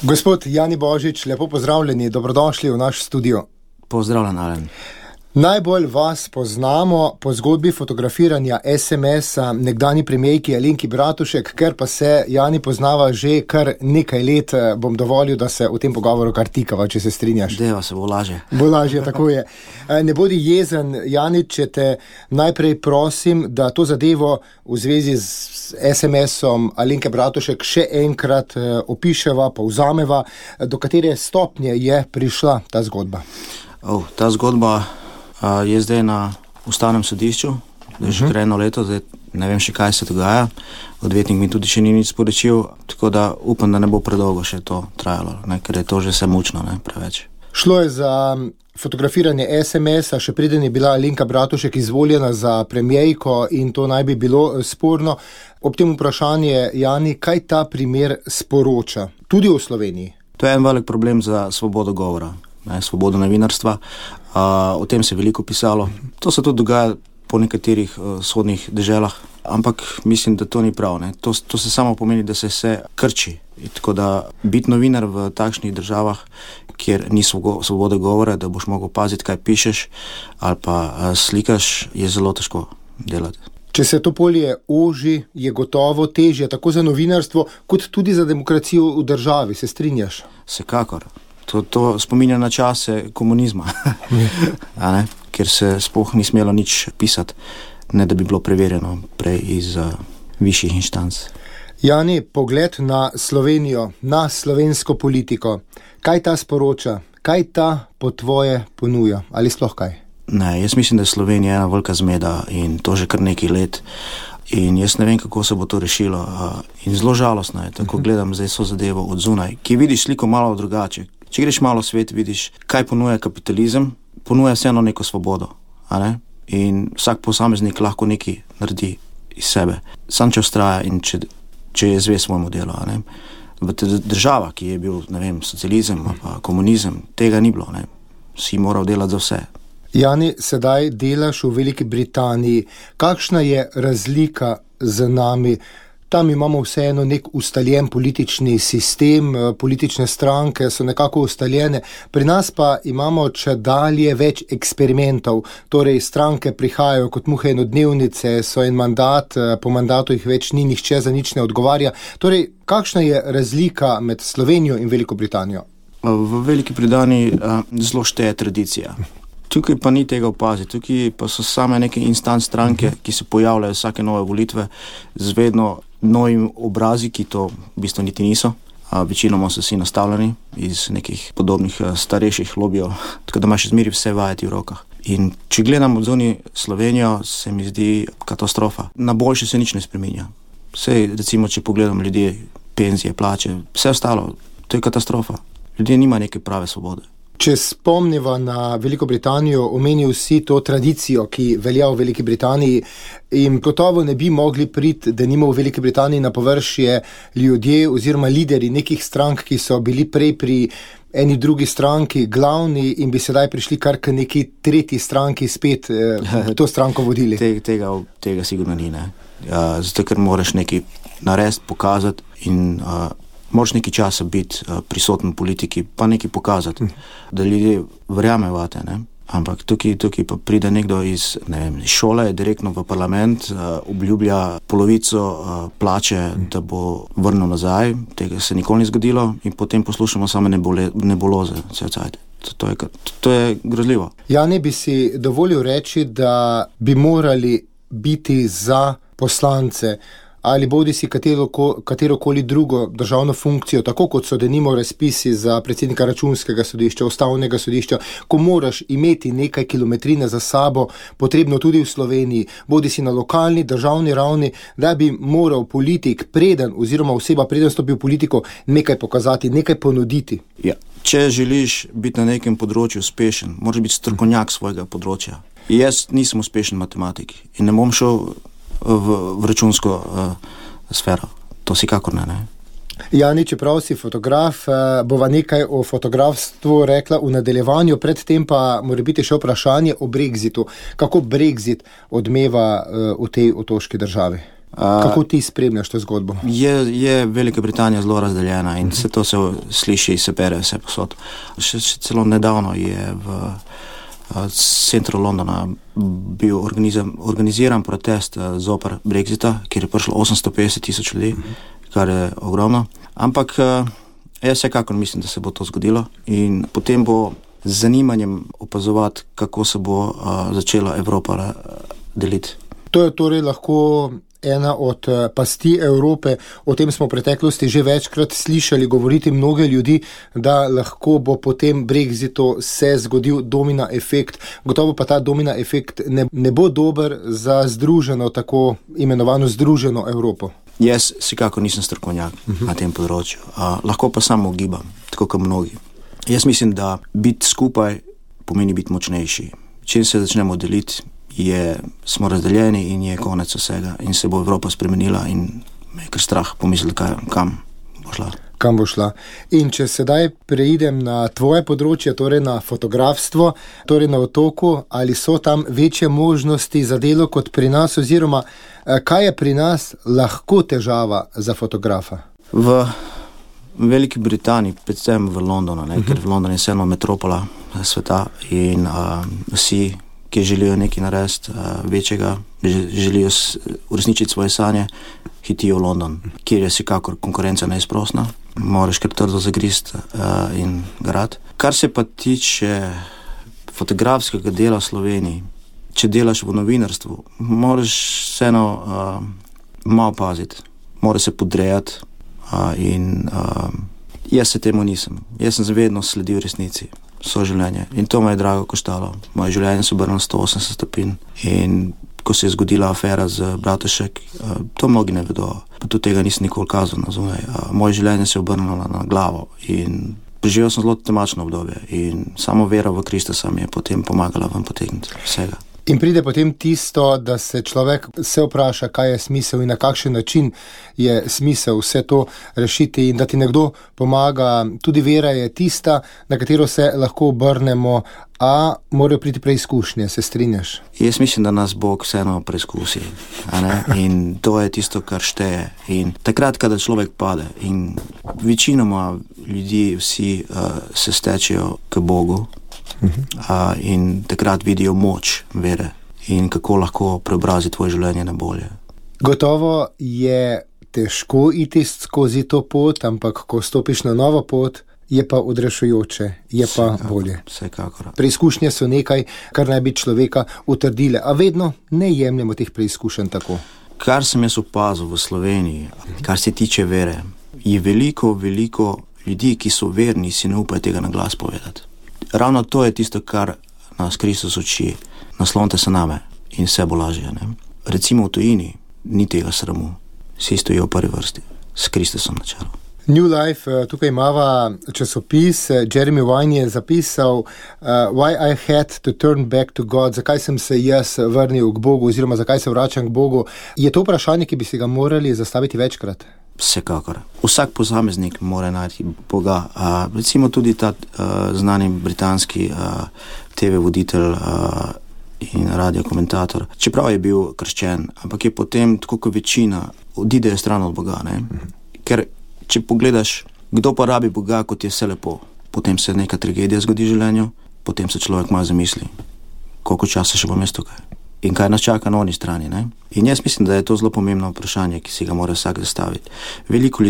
Gospod Jani Božič, lepo pozdravljeni, dobrodošli v naš studio. Pozdravljen, Alen. Najbolj vas poznamo po zgodbi fotografiranja SMS-a nekdanji premijerki Alenki Bratušek, ker pa se Jani poznava že kar nekaj let, bom dovolil, da se v tem pogovoru kar tikava, če se strinjaš. Deva se bo lažje. Bo lažje, tako je. Ne bodi jezen, Jani, če te najprej prosim, da to zadevo v zvezi z SMS-om Alenke Bratušek še enkrat opiševa, povzameva, do katere stopnje je prišla ta zgodba. Ta zgodba je zdaj na ustavnem sodišču, že kar 1 leto, zdaj ne vem še kaj se dogaja, odvetnik mi tudi še ni nič sporočil, tako da upam, da ne bo predolgo še to trajalo, ker je to že vse mučno, preveč. Šlo je za fotografiranje SMS-a, še preden je bila Alenka Bratušek izvoljena za premijerko in to naj bi bilo sporno. Ob tem vprašanje, Jani, kaj ta primer sporoča, tudi v Sloveniji? To je en velik problem za svobodo govora, svobodo novinarstva. O tem se je veliko pisalo. To se tudi dogaja po nekaterih vzhodnih deželah, ampak mislim, da to ni prav. To se samo pomeni, da se vse krči. Tako da biti novinar v takšnih državah, kjer ni svobode govora, da boš mogel paziti, kaj pišeš ali pa slikaš, je zelo težko delati. Če se to polje oži, je gotovo težje tako za novinarstvo, kot tudi za demokracijo v državi, se strinjaš? Vsekakor. To spominja na čase komunizma, ker se sploh ni smelo nič pisati, ne da bi bilo preverjeno prej iz višjih inštanc. Jani, pogled na Slovenijo, na slovensko politiko, kaj ta sporoča, kaj ta po tvoje ponuja, ali sploh kaj? Ne, jaz mislim, da je Slovenija ena velika zmeda in to že kar nekaj let. In jaz ne vem, kako se bo to rešilo. In zelo žalostno je, tako gledam zdaj so zadevo od zunaj, ki vidiš sliko malo drugače. Če greš malo v svet, vidiš, kaj ponuja kapitalizem, ponuja vseeno neko svobodo. In vsak posameznik lahko nekaj naredi iz sebe. Sam če vztraja in če je zvest svojemu delu. V država, ki je bil, ne vem, socializem pa komunizem, tega ni bilo. Si moral delati za vse. Jani, sedaj delaš v Veliki Britaniji. Kakšna je razlika z nami? Tam imamo vseeno nek ustaljen politični sistem, politične stranke so nekako ustaljene. Pri nas pa imamo čedalje več eksperimentov, torej stranke prihajajo kot muhe enodnevnice, so en mandat, po mandatu jih več ni, nihče za nič ne odgovarja. Torej, kakšna je razlika med Slovenijo in Veliko Britanijo? V Veliki Britaniji zelo šteje tradicija. Tukaj pa ni tega opaziti, tukaj pa so same neke instant stranke, ki se pojavljajo vsake nove volitve z vedno novimi obrazi, ki to v bistvu niti niso. Večinoma so vsi nastavljeni iz nekih podobnih starejših lobijev, tako da imaš izmeri vse vajeti v rokah. In če gledam odzuni Slovenijo, se mi zdi katastrofa. Na boljše se nič ne spreminja. Vse, recimo, če pogledam ljudi, penzije, plače, vse ostalo, to je katastrofa. Ljudje nima neke prave svobode. Če spomniva na Veliko Britanijo, omenil si to tradicijo, ki velja v Veliki Britaniji in gotovo ne bi mogli priti, da nima v Veliki Britaniji na površje ljudje oziroma lideri nekih strank, ki so bili prej pri eni drugi stranki glavni in bi sedaj prišli kar k neki tretji stranki spet to stranko vodili. Tega sigurno ni, zato ker moraš nekaj narediti, pokazati in moraš nekaj časa biti prisoten v politiki, pa nekaj pokazati, da ljudje verjamejo vate, Ampak tukaj pa pride nekdo iz šole, direktno v parlament, obljublja polovico plače, da bo vrnil nazaj, tega se nikoli ni zgodilo in potem poslušamo same nebuloze. To je grozljivo. Jani, bi si dovolil reči, da bi morali biti za poslance ali bodi si katerokoli drugo državno funkcijo, tako kot so denimo razpisi za predsednika Računskega sodišča, Ustavnega sodišča, ko moraš imeti nekaj kilometrine za sabo, potrebno tudi v Sloveniji, bodi si na lokalni, državni ravni, da bi moral politik oziroma oseba preden stopi v politiko nekaj pokazati, nekaj ponuditi. Ja. Če želiš biti na nekem področju uspešen, moraš biti strokovnjak svojega področja. Jaz nisem uspešen matematik in ne bom šel v računsko sfero. To si kakor ne. Jani, čeprav si fotograf, bova nekaj o fotografstvu rekla v nadaljevanju, predtem pa mora biti še vprašanje o Brexitu. Kako Brexit odmeva v tej otoški državi? Kako ti spremljaš to zgodbo? Je Velika Britanija zelo razdeljena in vse to se sliši, se bere vse posod. Še celo nedavno je v centru Londona bil organiziran protest zoper Brexita, kjer je prišlo 850,000 ljudi, kar je ogromno. Ampak jaz vsekakor mislim, da se bo to zgodilo in potem bo z zanimanjem opazovati, kako se bo začela Evropa deliti. To je torej lahko ena od pasti Evrope. O tem smo v preteklosti že večkrat slišali govoriti mnoge ljudi, da lahko bo po tem Brexitu se zgodil domina efekt. Gotovo pa ta domina efekt ne bo dober za združeno, tako imenovano združeno Evropo. Jaz vsekakor nisem strokovnjak na tem področju. Lahko pa samo ugibam, tako kot mnogi. Jaz mislim, da biti skupaj pomeni biti močnejši. Če se začnemo deliti, smo razdeljeni in je konec vsega in se bo Evropa spremenila in me je kar strah pomisliti, kam bo šla. Kam bo šla. In če sedaj preidem na tvoje področje, torej na fotografstvo, torej na Otoku, ali so tam večje možnosti za delo kot pri nas, oziroma kaj je pri nas lahko težava za fotografa? V Veliki Britaniji, predvsem v Londonu, ker v Londonu je vseeno metropola sveta in vsi, ki želijo nekaj narediti večjega, želijo uresničiti svoje sanje, hitijo v London, kjer je vsekakor konkurenca neizprosna, moraš kar trdo zagrist in garati. Kar se pa tiče fotografskega dela v Sloveniji, če delaš v novinarstvu, moraš vseeno malo paziti, moraš se podrejati in jaz se temu nisem. Jaz sem vedno sledil resnici, življenje in to me je drago koštalo. Moje življenje se obrnilo 180 stopinj in ko se je zgodila afera z Bratušek, to mnogi ne vedo, pa tudi tega nisem nikoli kazal na zunaj. Moje življenje se je obrnilo na glavo in preživel sem zelo temačno obdobje in samo vera v Kristusa mi je potem pomagala ven potegniti vsega. In pride potem tisto, da se človek vpraša, kaj je smisel in na kakšen način je smisel vse to rešiti in da ti nekdo pomaga. Tudi vera je tista, na katero se lahko obrnemo, a morajo priti preizkušnje, se strinjaš? Jaz mislim, da nas Bog vseeno preizkusi, in to je tisto, kar šteje. In takrat, kada človek pade in večinoma ljudi vsi se stečejo k Bogu, in takrat vidijo moč vere in kako lahko preobrazi tvoje življenje na bolje. Gotovo je težko iti skozi to pot, ampak ko stopiš na novo pot, je pa odrešujoče, je pa bolje. Vsekakor. Preizkušnje so nekaj, kar naj bi človeka utrdile, a vedno ne jemljemo teh preizkušenj tako. Kar sem jaz opazil v Sloveniji, kar se tiče vere, je veliko ljudi, ki so verni, si ne upajo tega na glas povedati. Ravno to je tisto, kar nas Kristus uči. Naslonite se name in vse bo lažje. Recimo v tujini ni tega sramu. Vsi stojijo v prvi vrsti s Kristusom na čelu. New Life, tukaj imava časopis, Jeremy Vine je zapisal Why I had to turn back to God, zakaj sem se jaz vrnil k Bogu oziroma zakaj se vračam k Bogu. Je to vprašanje, ki bi si ga morali zastaviti večkrat? Vsekakor. Vsak posameznik mora najti Boga. Recimo tudi ta znani britanski TV voditelj in radiokomentator, čeprav je bil krščen, ampak je potem, tako kot večina, odidejo stran od Boga. Ker če pogledaš, kdo pa rabi Boga, kot je vse lepo, potem se neka tragedija zgodi v življenju, potem se človek malo zamisli, koliko časa še bom jaz tukaj in kaj nas čaka na oni strani. In jaz mislim, da je to zelo pomembno vprašanje, ki si ga mora vsak zastaviti. Veliko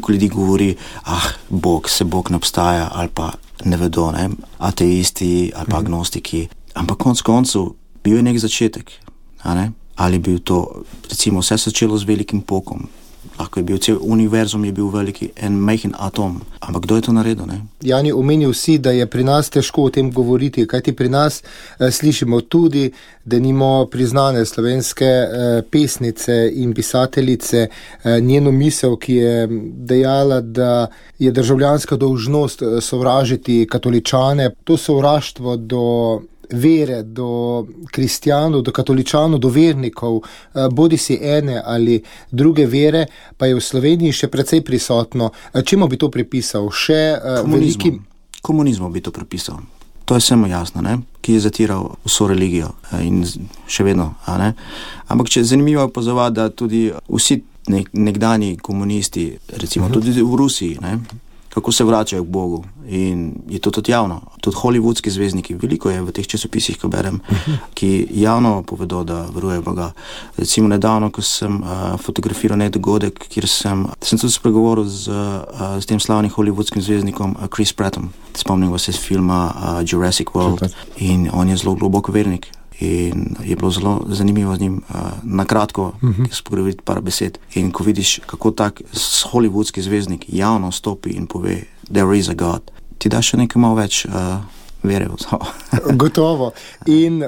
ljudi govori, Bog ne obstaja, ali pa ne vedo, ateisti ali pa agnostiki. Ampak konec koncev bil je nek začetek. Ali bil to, recimo, vse začelo z velikim pokom. Lahko je bil cel univerzum, je bil veliki en majhen atom. Ampak kdo je to naredil? Jani, omenil si, da je pri nas težko o tem govoriti, kajti pri nas slišimo tudi, da nimo priznane slovenske pesnice in pisateljice njeno misel, ki je dejala, da je državljanska dolžnost sovražiti katoličane. To sovraštvo do vere, do kristjanov, do katoličanov, do vernikov, bodi si ene ali druge vere, pa je v Sloveniji še precej prisotno. Čemu bi to pripisal? Komunizmu bi to pripisal. To je vsemu jasno, ne? Ki je zatiral vso religijo in še vedno. Ampak če je zanimivo opazovati, da tudi vsi nekdani komunisti, recimo tudi v Rusiji, ne? Kako se vračajo k Bogu in je to tudi javno. Tudi hollywoodski zvezdniki, veliko je v teh časopisih, ko berem, ki javno povedo, da verujejo Boga. Recimo nedavno, ko sem fotografiral nek dogodek, kjer sem tudi spregovoril s tem slavnim hollywoodskim zvezdnikom Chris Prattom. Spomnim se iz filma Jurassic World in on je zelo globoko vernik. In je bilo zelo zanimivo z njim nakratko spogovoriti par besed. In ko vidiš, kako tak hollywoodski zvezdnik javno stopi in pove there is a God, ti da še nekaj malo več vere v to. Gotovo. In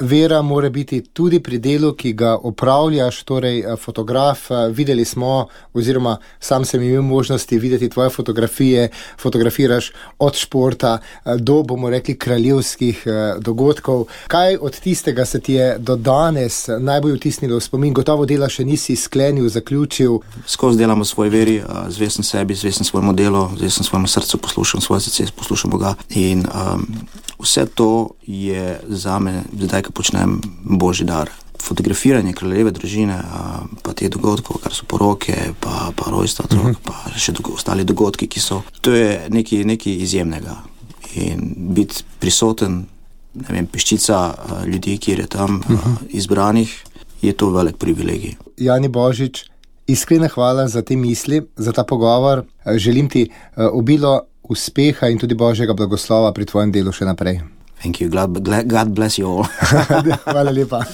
vera mora biti tudi pri delu, ki ga opravljaš, torej fotograf. Videli smo, oziroma sam sem imel možnosti videti tvoje fotografije, fotografiraš od športa do, bomo rekli, kraljevskih dogodkov. Kaj od tistega se ti je do danes najbolj vtisnilo v spomin? Gotovo dela še nisi sklenil, zaključil. Skozi delam v svoji veri, zvest sem sebi, zvest sem svojemu delu, zvest sem svojemu srcu, poslušam svoje srce, poslušam Boga in vse to je zame, zdaj, ko počnem, božji dar. Fotografiranje kraljeve družine, pa te dogodkov, kar so poroke, pa rojstva otrok, pa še ostali dogodki, ki so. To je nekaj izjemnega. In biti prisoten, ne vem, peščica ljudi, kjer je tam izbranih, je to velik privilegij. Jani Božič, iskrena hvala za te misli, za ta pogovor. Želim ti obilo uspeha in tudi Božjega blagoslova pri tvojem delu še naprej. Thank you. God bless you all. Hvala lepa.